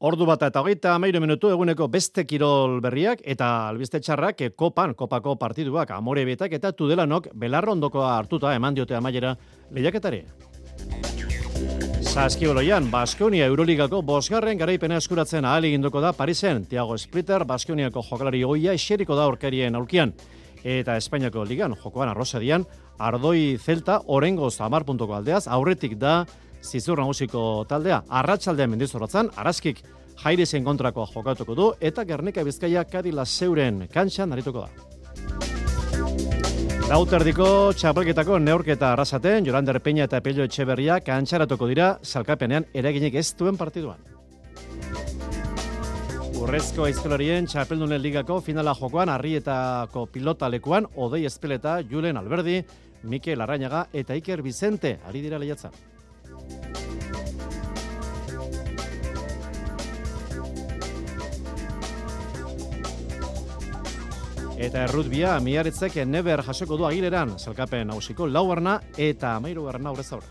1:23 eguneko beste kirol berriak eta albiste txarrak kopako partiduak Amorebieta eta Tudelanok Belarrondokoa hartuta eman diote amaiera lehiaketari. Saskibaloian, Baskonia Euroligako 5. garaipena eskuratzen ahal eginduko da Parisen. Thiago Splitter, Baskoniako jokalari ohia eseriko da aurkarien aulkian. Eta Espainiako ligan jokoan Arrosadian, Ardoi Celta orengoz 10 puntuko aldeaz, aurretik da Zizur nagusiko taldea. Arratsaldean Mendizorrotzan, Araskik Jairisen kontrakoa jokatuko du, eta Gernika Bizkaia Kadila Zeuren kantxan arituko da. Lauterdiko txapelketako neurketa arrasaten, Jorander Peña eta Pello Etxeberria kantxaratuko dira salkapenean eraginik ez duen partiduan. Urrezko aizkolarien txapeldunen ligako finala jokoan Arrietako pilota lekuan Odei Espeleta, Julen Alberdi, Mikel Arrañaga eta Iker Vicente ari dira lehiatzen. Eta errutbia Miaretzek neber jasoko du Agileran, salkapen nausiko laugarna eta 13. aurrez aurre.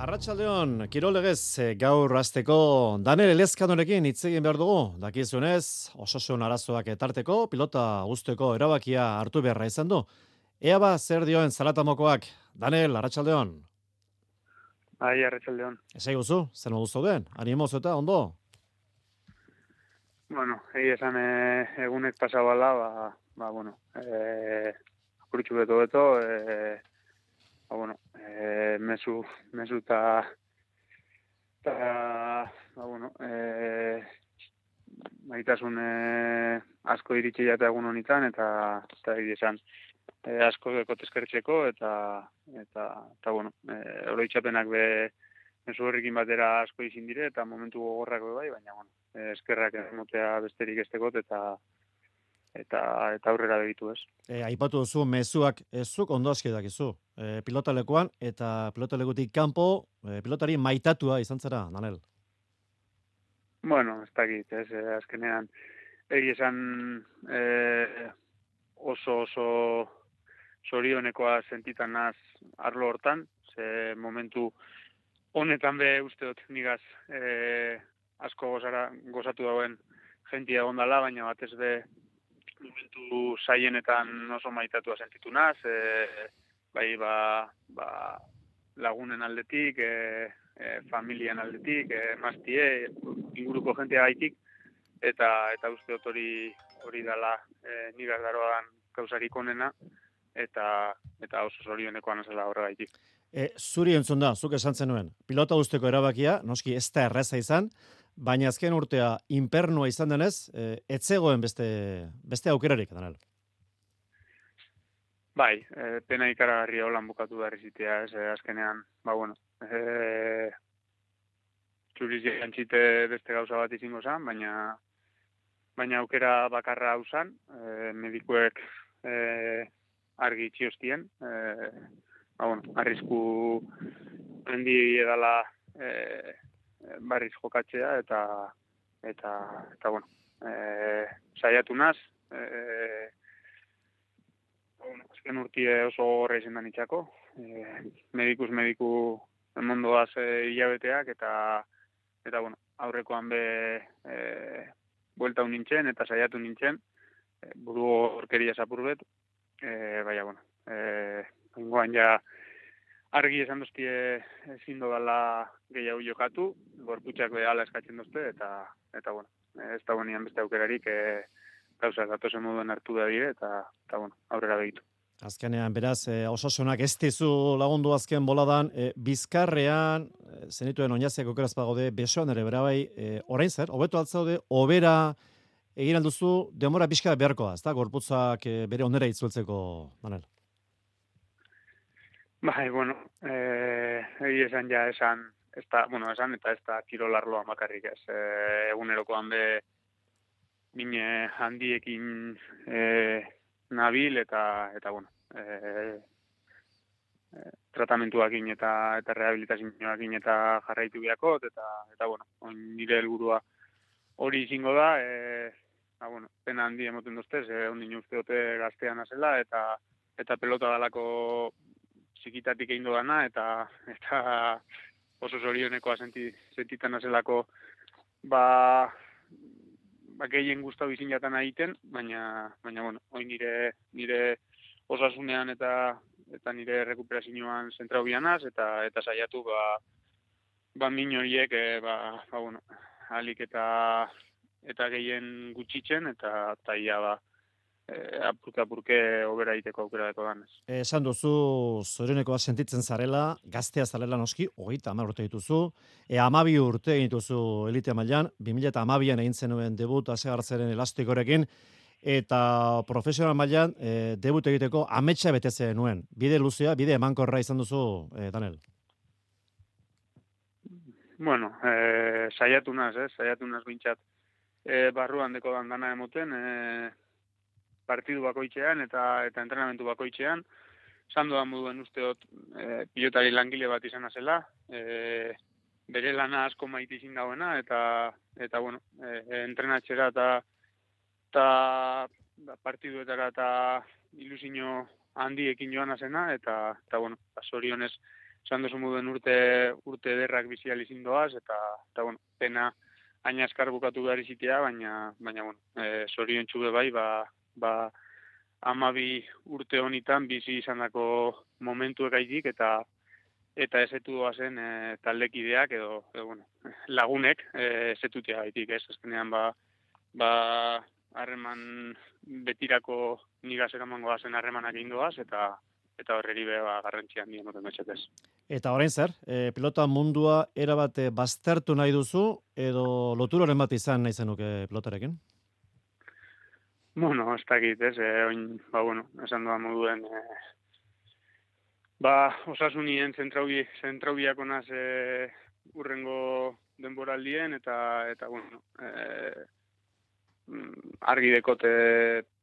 Arratsaldeon, kirolegez gaur hasteko Daniel Elezkanorekin hitz egin behar dugu. Dakizunez, osasun arazoak etarteko, pilota guzteko erabakia hartu beharra izan du. Ea ba, zer dioen Zalatamokoak. Daniel, arratsaldeon. Bai, arratsaldeon. Esai guzu, zer modu zauden? Animoz eta ondo? Bueno, esan egunek pasabala, apurtxu beto, mesu eta maitasun asko iritsi jata egun honitan, eta esan asko dekot eskertzeko, eta oroitzapenak mesu horrekin batera asko izin dire, eta momentu gogorrak bai, baina, eskerrak emotea besterik estekot, eta aurrera begitu ez. Aipatu duzu, mezuak zuk ondo aski dakizu. Pilotalekuan eta pilotalekutik kanpo pilotari maitatua izan zara, Daniel? Bueno, ez dakit, ez, azkenean esan oso zorionekoa sentitan naz arlo hortan, ze momentu honetan be uste dut nigaz asko gozatu dauen jentia gondala, baina batez be momentu saienetan oso maitatua sentitu naz, bai lagunen aldetik, familian aldetik, maztie, inguruko jentia gaitik, eta uste dut hori dala nigaz daroan kausarik onena, eta oso zorionekoa nazela horregaitik. Zuri entzun da, zuk esan zenuen, pilota guzteko erabakia, noski ez da erraza izan, baina azken urtea inpernua izan denez, etzegoen beste aukerarik, Daniel. Bai, pena ikaragarria holan bukatu da errizitea, azkenean, txuriz jantzite beste gauza bat izango zen, baina aukera bakarra hau zen, medikuek argi txiostien, arrisku hendi edala barriz jokatzea, eta saiatu naz, azken urtie oso horre izan da nitxako, medikuz mediku emondoaz hilabeteak, eta aurrekoan buelta nintzen, eta saiatu nintzen, buru horkeria zapurbet, ingoan ja argi esan doztie ezin dodala gehiago jokatu, gorputxak behala eskatzen dozte, eta ez da bonian beste aukerarik gauzak datozen moduen hartu da dire, eta aurrera begitu. Azkenean, beraz, osasunak ez dizu lagundu azken boladan, Bizkarrean, zenituen oinaziak okeraz pagode, besoan ere bera bai, orain zer, hobeto altzaude, obera egin alduzu, demora pixka beharkoa, ez da, gorputzak bere onera itzueltzeko, Daniel? Bai, esan eta ez da kirolarloa makarrik ez. Egunerokoan mine handiekin nabil eta tratamentuakin eta rehabilitazioakin eta jarraitu biakot, eta nire helburua hori izango da, pena handi emoten doztez, ondin uste dute gaztean azela, eta pelota dalako txikitatik egin dana eta oso zorionekoa sentitan azelako gehien gustau izin jatan egiten, baina bueno, hoi nire osasunean eta nire rekuperazioan zentrau bianaz, eta saiatu min horiek bueno, alik eta gehien gutxitzen, eta ia apurke obera egiteko aukera deko danez. Esan duzu, zorionekoa sentitzen zarela, gaztea zarela noski, 30 urte dituzu, 12 urte egin dituzu elite mailan, 2012an egin zenuen debut Asegartzeren elastikorekin, eta profesional mailan debut egiteko ametsa beteze nuen. Bide luzea, bide emankorra izan duzu, Daniel? Bueno, saiatu naz bintxat. Barruan deko dana emoten, partidu bakoitzean eta entrenamentu bakoitzean, sandu da moduen usteot pilotari langile bat izan zela, bere lana asko maite izin dagoena, eta bueno, entrenatxera eta partiduetara eta ilusio handiekin joan azena, eta bueno, zorionez, esan duzu moduen urte derrak bizial izin doaz, eta bueno, pena haina eskar bukatu behar izitea, baina bueno, zorion txube bai, 12 urte honitan bizi izandako momentu egaitik, eta ezetu doazen taldekideak edo bueno, lagunek ezetutea gaitik, ez? Azkenean harreman betirako nigaz eramango gazen harremanak egin doaz, eta horreri garrantzian nien moten betxetez. Eta orain zer, pilota mundua erabat baztertu nahi duzu, edo loturoren bat izan nahi zenuke pilotarekin? Bueno, ez dakit, ez, bueno, esan doa moduen, osasunien zentraubiako naz urrengo denboraldien, eta bueno, argi dekote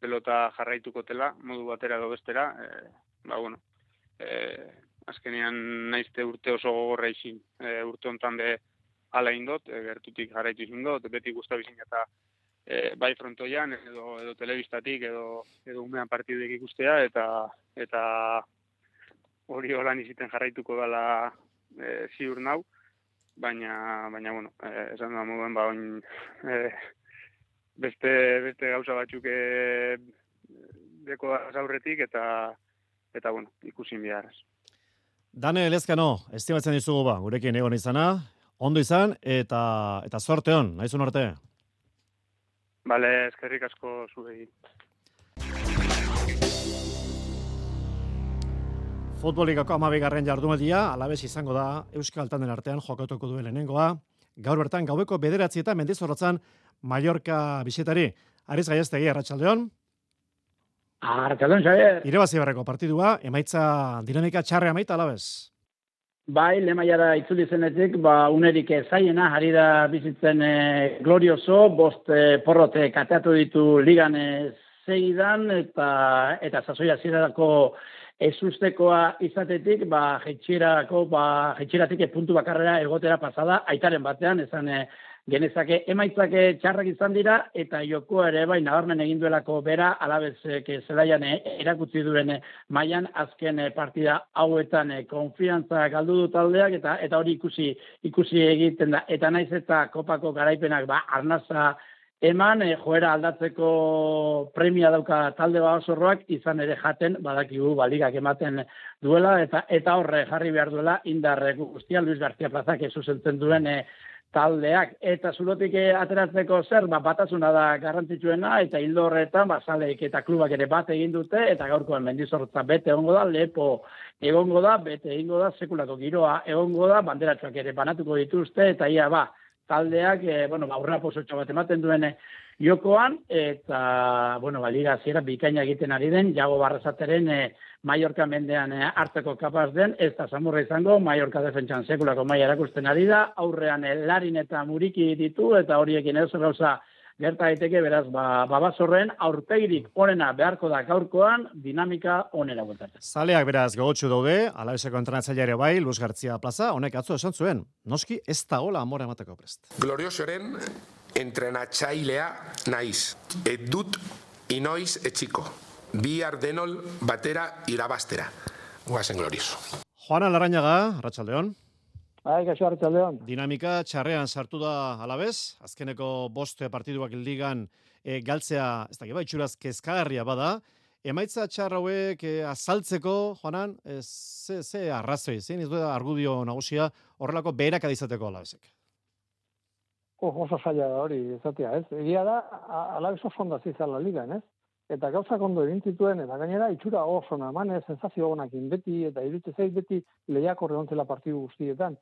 pelota jarraitukotela, modu batera edo bestera, bueno, azkenean naizte urte oso gogorra izin, urte hontan be ala indot, gertutik jarraitu izin dut, beti guztabi izin eta bai frontoian, edo telebistatik, edo umean partidek ikustea, eta hori holan iziten jarraituko dela ziur nau, baina bueno, esan da moduen, oin beste gauza batzuk deko da zaurretik, eta bueno, ikusin biharraz. Daniel Ezkano, estimatzen dizugu gurekin egon izana, ondo izan, eta sorte hon, nahizun arte. Bale, eskerrik asko zuei. Futbolikako 12. jardunaldia, alabez izango da, Euskal Tanden artean jokatuko duen lehenengoa, gaur bertan gaueko 9 Mendizorrotzan Mallorca bisitari. Ariz Gaiaztegi, arratsaldeon. Arratsaldeon, Xabier. Irabazi barreko partidua, emaitza dinamika txarre amaita alabez. Bai, lemaiara itzuli zenetik, unerik zaiena, ari da bizitzen glorioso, 5 porrote kateatu ditu ligan segidan, eta sasoia zirarako ezustekoa izatetik, jetxiratik puntu bakarrera egotera pasada, aitaren batean, esan genezake emaitzake txarrak izan dira, eta jokoa ere bai nabarmen egin duelako bera, alabezek zelaian erakutsi duen mailan azken partida hauetan konfiantza galdu du taldeak, eta hori ikusi egiten da. Eta naiz eta kopako garaipenak arnaza eman, joera aldatzeko premia dauka talde osorroak, izan ere jaten, badakigu ligak ematen duela, eta horre jarri behar duela indarre guztia Luis García Plazak zuzentzen duen taldeak, eta zulotik ateratzeko zer, batasuna da garrantzitsuena, eta hildo horretan, zaleek eta klubak ere bat egin dute, eta gaurkoan Mendizorrotza bete egongo da, Lepo egongo da, bete egingo da, sekulako giroa egongo da, banderatxoak ere banatuko dituzte, eta ia taldeak, aurrera posotxo bat ematen duen jokoan, eta, liga hasiera bikaina egiten ari den, Jago Barrasateren Mallorca mendean hartzeko kapaz den, ez da samurra izango, Mallorca defentsan sekulako maila erakusten ari da, aurrean Larin eta Muriki ditu, eta horiekin edo gauza gerta daiteke, beraz, babazorren aurpegirik onena beharko da gaurkoan, dinamika onera guetatzen. Zaleak beraz gogotsu daude, alabezeko entrenatzaileare bai, Luis García Plaza, honek atzo esan zuen, noski ez da hola amora emateko prest. Gloriosoren entrenatzailea naiz, dut inoiz etxiko, bihar denol batera irabastera. guazen glorioso. Juana Larrañaga, arratsaldeon. Kaixo arratsaldeon. Dinamika txarrean sartu da Alavés, azkeneko 5 partiduak ligan galtzea, ez dakit itxuraz kezkagarria bada. Emaitza txar hauek azaltzeko, Juanan, ze arrazoi, zein ez da argudio nagusia horrelako beherakada izateko Alavesek? Oso zaila da hori, ezatea, ez? Egia da, Alavés oso ondo hasi zala ligan, ez? Eta gauzak ondo egin zituen, eta gainera itxura oso naman, sensazio onakin beti, eta iruditzen zait beti lehiakor egontzela partidu guztietan.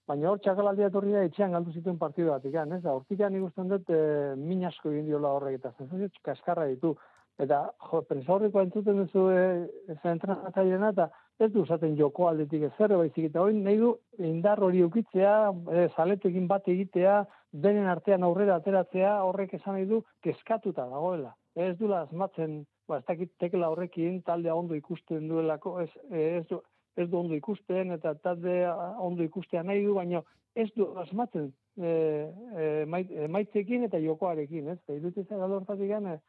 Baina hor txakalaldia etorri da etxean galdu zituen partidu batik, ez? Hortikan ikusten dut min asko egin diola horrek, eta sensazio kaskarra ditu. Eta, prensa horreko entzuten duzu entrenatzailena, eta ez du zaten joko aldetik ezer, baizik eta hori nahi du indar hori eukitzea, zaletekin bat egitea, denen artean aurrera ateratzea, horrek esan nahi du kezkatuta dagoela. Ez dula asmatzen, ez dakit tekla horrekin taldea ondo ikusten duelako, ez du ondo ikusten, eta taldea ondo ikustea nahi du, baina ez du asmatzen maitzekin eta jokoarekin, ez? Iruditzen galortatik gane,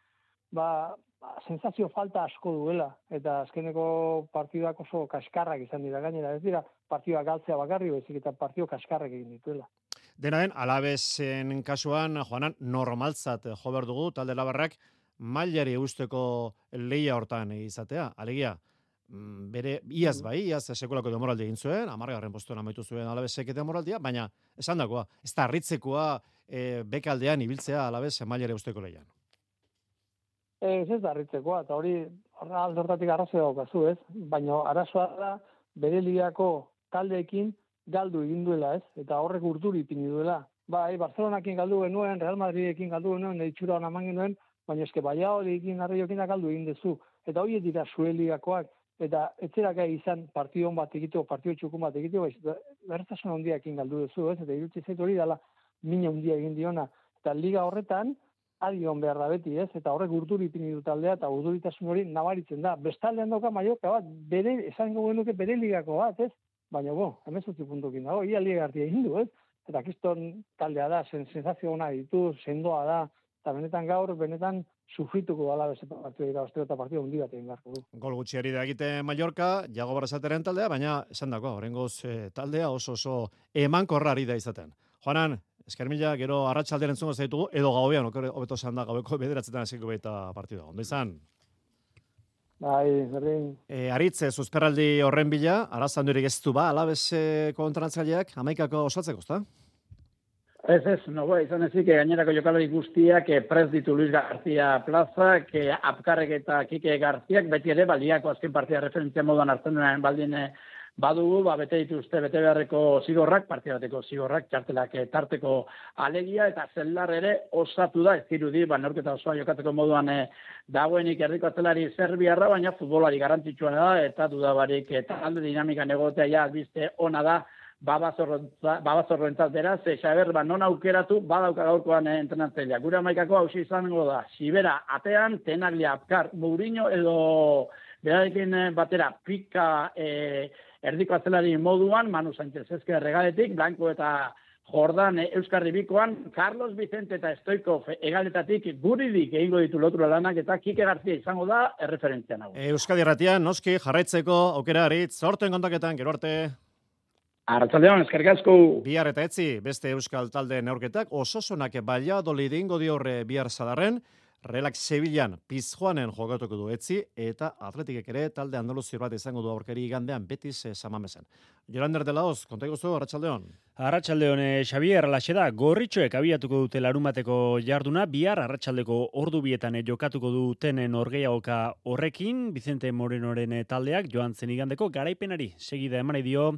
sensazio falta asko duela, eta azkeneko partiduak oso kaskarrak izan dira gainera, ez dira partiduak galtzea bakarri, baizik eta partidu kaskarrak egin dituela. Dena den, Alavesen kasuan, Juanan, normaltzat jo behar dugu, talde labarrak, mailari eusteko lehia hortan izatea. Alegia, bere iaz sekulako demoraldi egin zuen, 10. postuan amaitu zuen Alavesek eta demoraldia, baina esan dagoa, ez da harritzekoa bekaldean ibiltzea Alaves mailari eusteko lehian. Ez da harritzekoa, eta hori aldortatik arrazoi daukazu, ez? Baina arazoa da bere ligako taldeekin galdu egin duela, ez? Eta horrek urduri ipini duela. Bai, Barcelonakin galdu genuen, Real Madridekin galdu genuen, itxura hona eman genuen, baina eske Valladolidekin Arraiokin galdu egin dezu. Eta horiek dira zure ligakoak, eta etzeraka izan partidon bat egiteko, partido txukun bat egiteko, bertasun handiakin galdu dezu, ez? Eta irutzi zait hori dela mina handia egin diona. Eta liga horretan, adion behar da beti, ez? Eta horrek urduri ipini du taldea, eta urduritasun hori nabaritzen da. Bestaldean dauka Mallorca bat, esango genuke bere ligako bat, ez? Baina, 18 puntukin dago, ia liga hartia egin du, ez? Eta kiston taldea da, sensazio ona ditu, sendoa da, eta benetan sufrituko dala beste partidu irabazteko eta partidu hundi bat egin beharko du. Gol gutxiari da egite Mallorca, Jago Barrasateren taldea, baina esan dako, oraingoz taldea oso emankorrari da izaten. Juanan, esker mila, gero arratsalderen entzungo zaitugu, edo gauean, hobeto esan da, gaueko 9 hasiko baita partida. Ondo izan? Bai, berdin. Aritz, zuzperraldi horren bila, arazandurik ez du Alaves kontratzaileak, 11ako osatzeko, ezta? Ez, izan ezik, gainerako jokalari guztiak prez ditu Luis García plazak, Apkarrek eta Kike Garziak, beti ere, baliako azken partida referentzia moduan hartzen duen baldin badugu, bete dituzte bete beharreko zigorrak, partidateko zigorrak, txartelak tarteko alegia, eta zelar ere osatu da, ez dirudi, neurketa osoa jokatzeko moduan dagoenik erdiko atzelari Serbiarra, baina futbolari garrantzitsua da, eta dudabarik talde dinamikan egotea ja albiste ona da, babazorroentzat beraz, Xaber, non aukeratu, badauka gaurkoan entrenatzailea. Gure amaikako hausi izango da, Xibera atean, Tenaglia, Apkar, Mourinho edo berarekin batera pika erdiko atzelari moduan, Manu Sánchez ezker regaletik, Blanco eta Jordan Euskarri bikoan, Carlos Vicente eta Stoikov egaletatik guridik egingo ditu lotura lanak eta Kike Garzia izango da erreferentzia nago. Euskadi Irratian, noski, jarraitzeko aukera Aritz, sorten kontaketan, gero arte. Arratsaldeon, eskerrik asko. Bihar eta etzi, beste euskal talde neurketak, ososonak Valladolid ingo diorre bihar Sadarren, Relax Sevillan Pizjuanen jokatuko du etzi, eta Atletikek ere talde andaluzio bat izango du aurkari igandean Betis Samamesen. Jolander de la Hoz, kontaiko zu, arratsaldeon. Arratsaldeon, Xavier Laxeda, gorritxoek abiatuko dute larumateko jarduna, bihar arratsaldeko ordu bietan jokatuko duten norgehiagoka horrekin, Vicente Morenoren taldeak joan zen igandeko garaipenari segida eman dio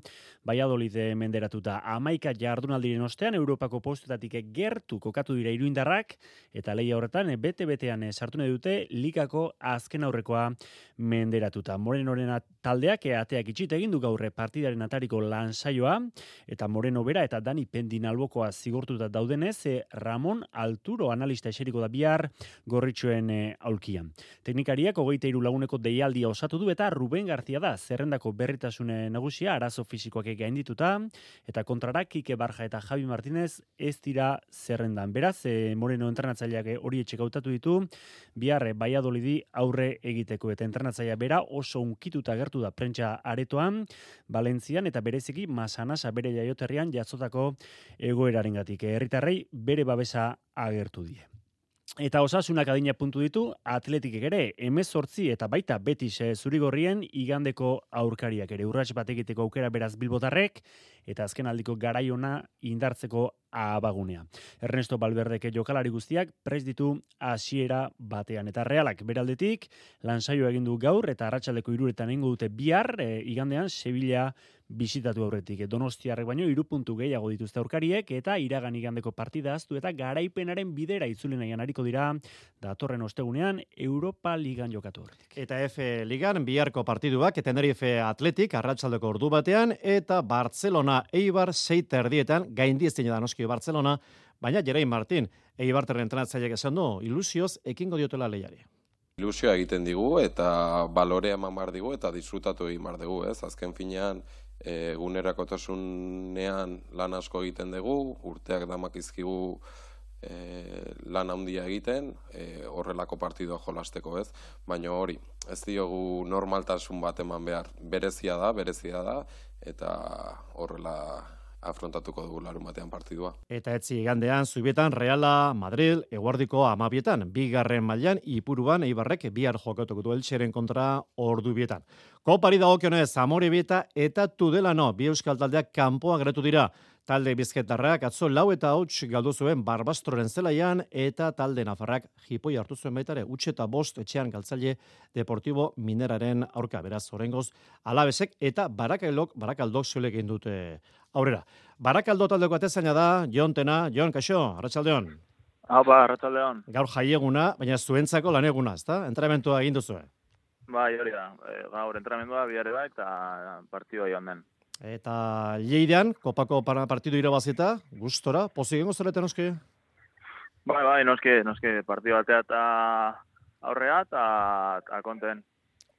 Valladolid menderatuta. 11 jardunaldiren ostean Europako postuetatik gertu kokatu dira iruindarrak, eta lehia horretan bete-betean sartu nahi dute ligako azken aurrekoa menderatuta. Morenoren taldeak ateak itxit egin du gaur partidaren atariko lan saioa, eta Moreno bera eta Dani Pendinalbokoa zigortuta daudenez, Ramon Alturo analista eseriko da bihar gorritxoen aulkian. Teknikariak 23 laguneko deialdia osatu du eta Ruben García da zerrendako berritasune nagusia arazo fisikoak gaindituta eta kontrara Kike Barja eta Javi Martínez ez dira zerrendan. Beraz, Moreno entrenatzaileak hori etxek hautatu ditu, bihar Valladolidi aurre egiteko eta entrenatzailea bera oso unkituta gertu da prentsa aretoan, Valentzian eta bereziki Masanasa bere jaioterrian jatzotako egoerarengatik. Herritarrei bere babesa agertu die. Eta Osasunak adina puntu ditu, Atletikek ere 18 eta baita Betis zurigorrien igandeko aurkariak ere urrats bat egiteko aukera beraz bilbotarrek eta azken aldiko garaiona indartzeko abagunea. Ernesto Valverdeke jokalari guztiak prest ditu hasiera batean eta Realak beraldetik lansaio egin du gaur eta arratsaldeko 3etan egingo dute bihar igandean Sevilla bisitatu aurretik. Donostiarrek baino 3 puntu gehiago dituzte aurkariek eta iragan igandeko partida ahaztu eta garaipenaren bidera itzuli nahian ariko dira datorren ostegunean Europa Ligan jokatu aurretik. Eta F Ligan biharko partiduak Tenerife Atletik arratsaldeko ordu batean eta Barcelona Eibar 6:30 gaindiezina da noski Barcelona, baina Jerain Martin Eibarren entrenatzaileak esan du ilusioz ekingo diotela lehiari. Ilusioa egiten digu eta balorea eman behar digu eta disfrutatu egin behar dugu, ez? Azken finean egunerakotasunean lan asko egiten dugu, urteak damakizkigu lan handia egiten, horrelako partidua jolasteko, ez? Baina hori, ez diogu normaltasun bat eman behar, berezia da, eta horrela afrontatuko dugu larunbatean partidua. Eta etzi igandean Zubietan Reala, Madrid, eguardiko 12etan, bigarren mailan Ipuruan Eibarrek bihar jokatuko du Elcheren kontra ordubietan. Kopari dagokionez Amorebieta eta Tudelano bi euskal taldeak kanpoan geratu dira. Talde bizkaitarrak atzo 4-8 galdu zuen Barbastroren zelaian eta talde nafarrak jipoi hartu zuen baita ere 8-5 etxean galtzaile Deportivo Mineraren aurka. Beraz, oraingoz Alabesek eta Barakaldok zuelek egin dute aurrera. Barakaldo taldeko atezaina da Jon Tena. Jon, kaixo, arratsaldeon. Arratsaldeon. Gaur jaieguna, baina zuentzako laneguna, ezta? Entrenamentua egin duzu. Bai, hori da. Gaur entrenamentua bihar da eta partidua joan den. Eta Lleidean, kopako partidu irabazita, gustora, pozik gengo zarete noski? Bai, noski, partidu batea eta aurrea eta konten.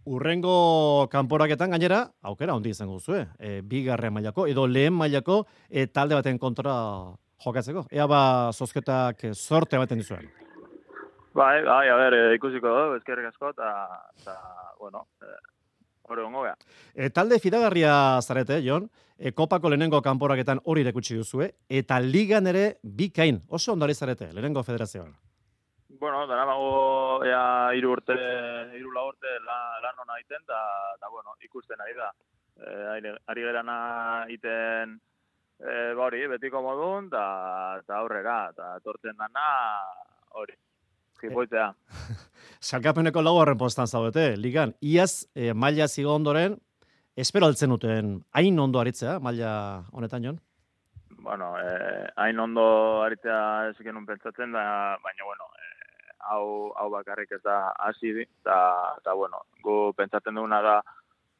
Urrengo kanporaketan gainera, aukera handi izango zuen, bigarren mailako, edo lehen mailako talde baten kontra jokatzeko. Ea zozketak sorte baten dizuen. Bai, ikusiko du, eskerrik asko, eta bueno, hori gongo beha. Talde fidagarria zarete, Jon, kopako lehenengo kanporaketan hori irekutsi duzue, eta ligan ere bikain, oso ondari zarete, lehenengo federazioan. Bueno, daramago 3 urte lan hona egiten, eta bueno, ikusten ari da. Ari gerana egiten hori, betiko modun, eta aurrera, eta tortzen dana hori. Jipoitzea. Salkapeneko 4. postan zaudete, ligan. Iaz, maila zigo ondoren, espero altzen duten, hain ondo aritzea, maila honetan, Jon? Bueno, hain ondo aritzea ez genuen pentsatzen da, baina, bueno, hau bakarrik ez da hasi, eta bueno, gu pentsatzen duguna da,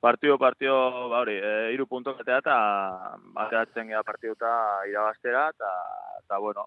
partio, hori, 3 puntok eta bateatzen gara partiduta irabaztera, eta bueno,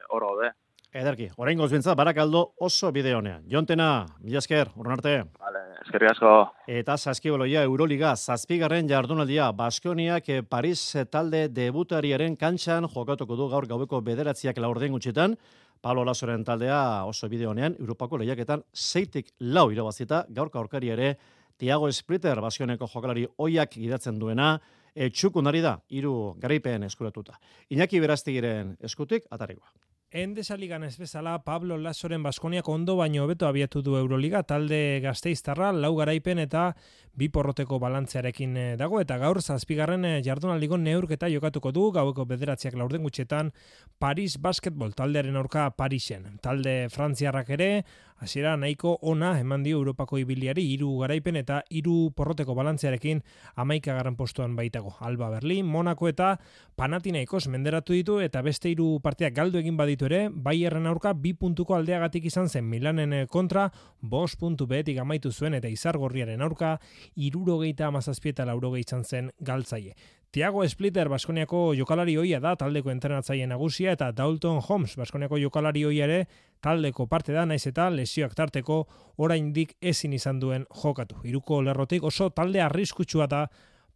hor gaude. Ederki, oraingoz bintzat, Barakaldo oso bide honean. Jon Tena, mila esker, urren arte. Vale, eskerrik asko. Eta saskiboloia Euroliga, 7. jardunaldia, Baskoniak Paris talde debutariaren kantxan jokatuko du gaur gaueko 9:00 laurden gutxitan. Pablo Lasoren taldea oso bide honean, Europako lehiaketan 6-4 irabazita, gaurko aurkari ere, Thiago Splitter, Baskoneko jokalari oiak gidatzen duena, txukun ari da, 3 garaipen eskuratuta. Iñaki Berastigiren eskutik, atarikoa. Endesa ligan ez bezala, Pablo Lasoren Baskoniak ondo baino hobeto abiatu du Euroliga, talde gasteiztarra 4 garaipen eta 2 porroteko balantzearekin dago, eta gaur 7. jardunaldiko neurketa jokatuko du, gaueko 9:00 laurden gutxetan, Paris Basketball taldearen aurka Parisen. Talde frantziarrak ere, hasiera nahiko ona eman dio Europako ibiliari 3 garaipen eta 3 porroteko balantzearekin 11. postuan baitago. Alba Berlin, Monaco eta Panathinaikos menderatu ditu eta beste 3 partidak galdu egin baditu ere, Bayerren aurka 2 puntuko aldeagatik izan zen Milanen kontra, 5 puntu behetik amaitu zuen eta Izargorriaren aurka 77 eta 80 izan zen galtzaile. Thiago Splitter Baskoniako jokalari ohia da taldeko entrenatzaile nagusia eta Dalton Holmes Baskoniako jokalari ohia ere taldeko parte da, naiz eta lesioak tarteko oraindik ezin izan duen jokatu. Hiruko lerrotik oso talde arriskutsua da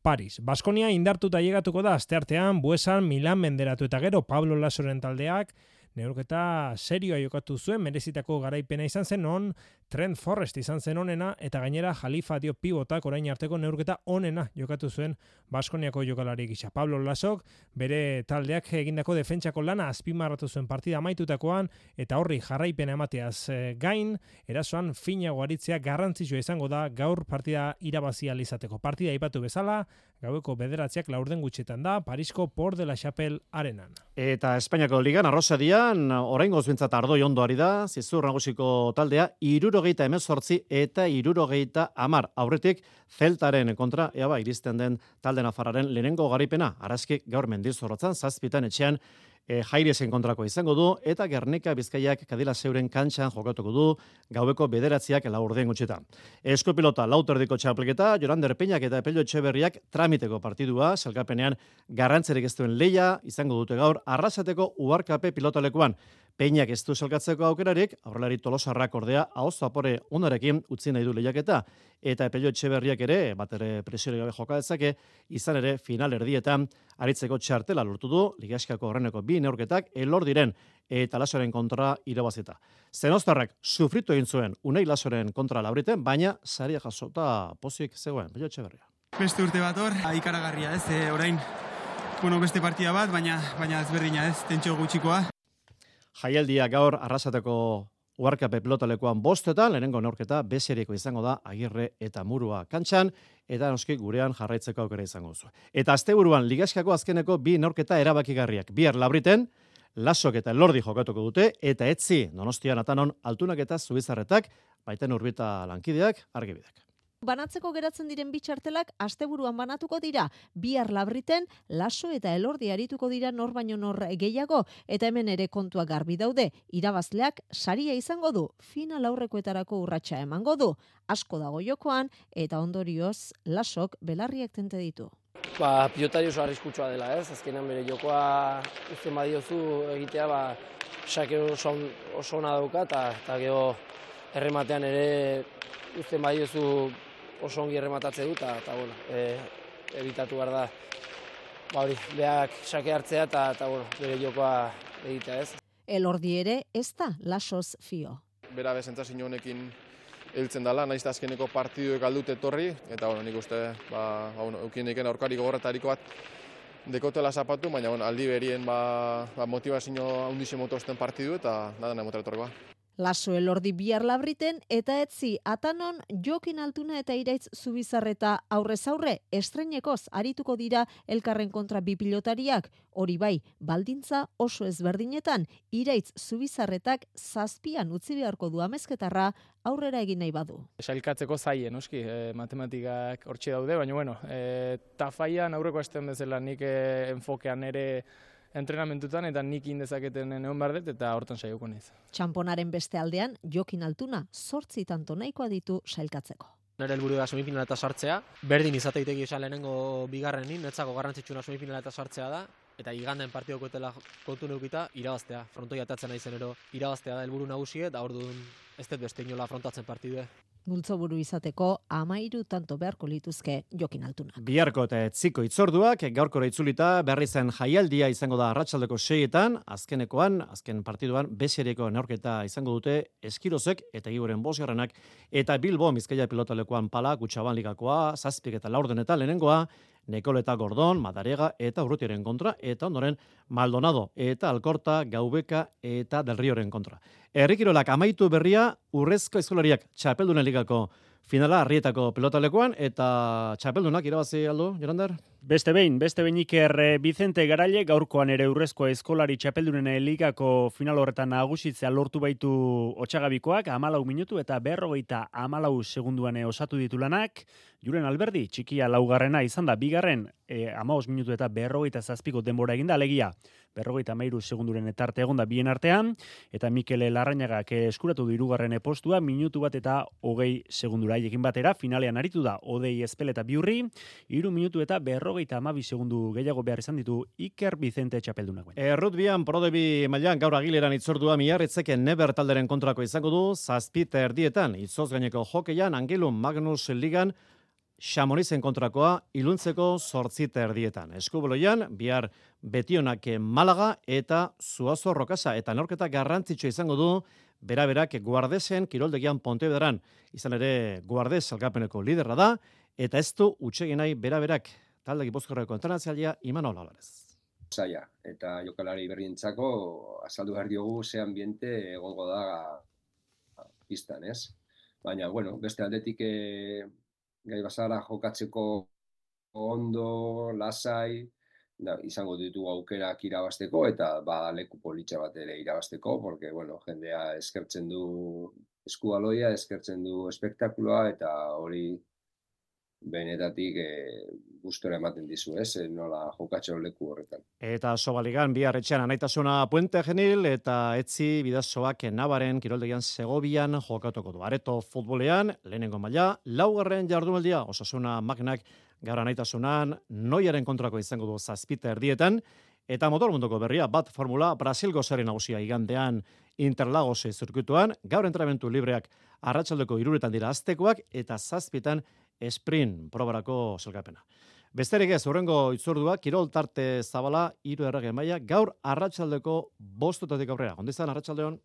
Paris. Baskonia indartuta llegatuko da asteartean Buesan Milan menderatu eta gero Pablo Lasoren taldeak neurketa serioa jokatu zuen, merezitako garaipena izan zen on, Trent Forrest izan zen onena, eta gainera Jalifa Diop pivotak orain arteko neurketa onena jokatu zuen Baskoniako jokalari gisa. Pablo Lasok bere taldeak egindako defentsako lana azpimarratu zuen partida amaitutakoan, eta horri jarraipena emateaz gain, erasoan finago aritzea garrantzitsua izango da gaur partida irabazia izateko. Partida aipatu bezala, gaueko 9:00 laurden gutxetan da, Parisko Port de la Chapelle arenan. Eta Espainiako ligan Arrosadian, oraingoz behintzat ardoi ondo ari da, Zizur nagusiko taldea, 78 eta 70 aurretik Zeltaren kontra, iristen den talde nafarraren lehenengo garaipena, Araski gaur Mendizorrotzan, 7 etxean, Jairesen kontrako izango du, eta Gernika Bizkaiak Kadila Zeuren kantxan jokatuko du, gaueko 9:00 laurden gutxetan. Eskopilota lauterdiko txapelketa, Jorander Peñak eta Epelio Etxeberriak tramiteko partidua, salkapenean garrantzerik ez duen leia, izango dute gaur, Arrasateko Uharkape pilotalekuan. Peñak ez du salkatzeko aukerarik, aurrelari Tolosarrak ordea, ahoz zapore unarekin utzi nahi du lehiaketa, eta Epelio Etxeberriak ere, bat ere presiori gabe joka dezake, izan ere final erdietan aritzeko txartela lortu du, Ligaskako horreneko 2 neurketak Elordiren eta Lasoren kontra irabazita. Zenostarrak sufritu egin zuen Unai Lasoren kontra Labriten, baina saria jasota pozik zegoen, Epelio Etxeberria. Beste urte bat hor, ikaragarria ez, orain, beste partida bat, baina ezberdina ez, tentsio gutxikoa. Jaialdia gaur Arrasateko Uharkape pilotalekuan 5:00, lehenengo neurketa bezeriko izango da Agirre eta Murua kantxan, eta noski gurean jarraitzeko aukera izango duzu. Eta asteburuan Ligaskako azkeneko 2 neurketa erabakigarriak. Bihar Labriten, Lasok eta Elordi jokatuko dute, eta etzi Donostian Atanon Altunak eta Zubizarretak, baiten Urbita lankideak, argibideak. Banatzeko geratzen diren bitxartelak asteburuan banatuko dira. Bihar Labriten, Laso eta Elordi arituko dira nor baino nor gehiago, eta hemen ere kontua garbi daude. Irabazleak saria izango du, final aurrekoetarako urratsa emango du. Asko dago jokoan, eta ondorioz Lasok belarriak tente ditu. Pilotari oso arriskutsua dela, ez? Azkenan bere jokoa uzten badiozu egitea, sake oso ona dauka, eta gero errematean ere uzten badiozu oso ongi errematatze dut, eta evitatu behar da, beak sake hartzea, eta bere jokoa egitea, ez? Elordi ere ez da Lasoz fio. Bera bezentzazio honekin heltzen dela, nahiz azkeneko partiduek aldut etorri, eta nik uste, eukien diken aurkari gogorretariko bat dekotela zapatu, baina aldi berien motivazio handixe motosten partidu, eta nada emotera etorrikoa. Laso Elordi bihar Labriten, eta etzi Atanon Jokin Altuna eta Iraitz Zubizarreta aurrez aurre estreinekoz arituko dira elkarren kontra 2 pilotariak, hori bai, baldintza oso ezberdinetan, Iraitz Zubizarretak 7 utzi beharko du amezketarra aurrera egin nahi badu. Sailkatzeko zaie, noski, matematikak hortxe daude, baina tafaian aurreko astean bezala nik enfokean ere entrenamentutan eta nik indezaketen egon behar dut eta hortan saioko naiz. Txamponaren beste aldean, Jokin Altuna 8 tanto nahikoa ditu sailkatzeko. Nire helburu da semifinaleta sartzea, berdin izateiteki esan lehenengo bigarrenin, netzako garrantzitsuna semifinaleta sartzea da, eta iganden partidoko etela kontu neukita, irabaztea. Frontoi atatzen nahi zenero, irabaztea da helburu nagusie, eta orduan ez dut beste inola afrontatzen partidue. Multzoburu izateko 13 tanto beharko lituzke Jokin Altuna. Biharko eta etziko itzorduak, gaurkora itzulita berri zen jaialdia izango da arratsaldeko 6etan, azken partiduan, besereko neurketa izango dute Eskirozek eta Giboren 5. eta Bilbo Bizkaia pilotalekuan Pala, Kutxaban ligakoa, 7 eta laurdenetan lehenengoa, Nekoleta Gordon, Madarega eta Urrutiaren kontra, eta ondoren Maldonado eta Alkorta, Gaubeka eta Del Rioren kontra. Herrikirolak amaitu berria Urrezko Eskolariak Txapeldunen ligako finala Arrietako pilotalekuan, eta txapeldunak irabazi aldu, Jorander? Beste behin Iker Vicente Garaile gaurkoan ere Urrezko Eskolari Txapeldunen ligako final horretan nagusitzea lortu baitu Otsagabikoak, 14 minutu eta 54 segunduan osatu ditu lanak. Julen Alberdi, txikia laugarrena izan da, bigarren 15 minutu eta 57 denbora eginda, alegia 53 segunduren etarte egonda bien artean, eta Mikel Larrañagak eskuratu du hirugarren postua, minutu bat eta 20 segundura haiekin batera, finalean aritu da Odei Ezpel eta Biurri, 3 minutu eta 50 52 segundu gehiago behar izan ditu Iker Vicente txapeldunak. Rugbyan Prodebi mailan gaur Agileran itzordua Miarritzeken Neber talderen kontrako izango du 7:30 itzoz gaineko hokeian Angelun Magnus Ligan Xamonizen kontrakoa iluntzeko 8:30. Eskuboloian bihar Betionak Malaga eta Zuazo Rokasa eta neurketa garrantzitsua izango du beraberak Guardesen kiroldegian Pontevedaran. Izan ere Guardes salgapeneko liderra da eta ez du hutsegin nahi beraberak talde Gipuzkoarreko entrenatzailea Imanol Alvarez. Zaila eta jokalari berrientzako azaldu behar diogu ze ambiente egongo da pistan, ez? Baina, bueno, beste aldetik gai bazara jokatzeko ondo, lasai, izango ditugu aukerak irabasteko eta leku politxa bat ere irabasteko, porque, bueno, jendea eskertzen du eskubaloia, eskertzen du espektakuloa eta hori benetatik gustora ematen dizu, nola jokatxo leku horretan. Eta Sobaligan bihar etxean Anaitasuna Puente Genil eta Etzi Bidazoak Nabaren kiroldegian Segovian jokatuko du. Areto futbolean lehenengo maila, 4. jardunaldia Osasuna Magnak gaur Anaitasunan Noiaren kontrako izango du 7:30 eta motormunduko berria bat formula Brasilgo sari nagusia igandean Interlagos zirkuituan, gaur entrenamendu libreak arratsaldeko 3 dira aztekoak eta 7 sprint probarako zelkapena. Besterik ez, hurrengo itzordua, kirol tarte zabala, 3 errege maila, gaur arratsaldeko 5 aurrera. Ondizan, arratsaldeon.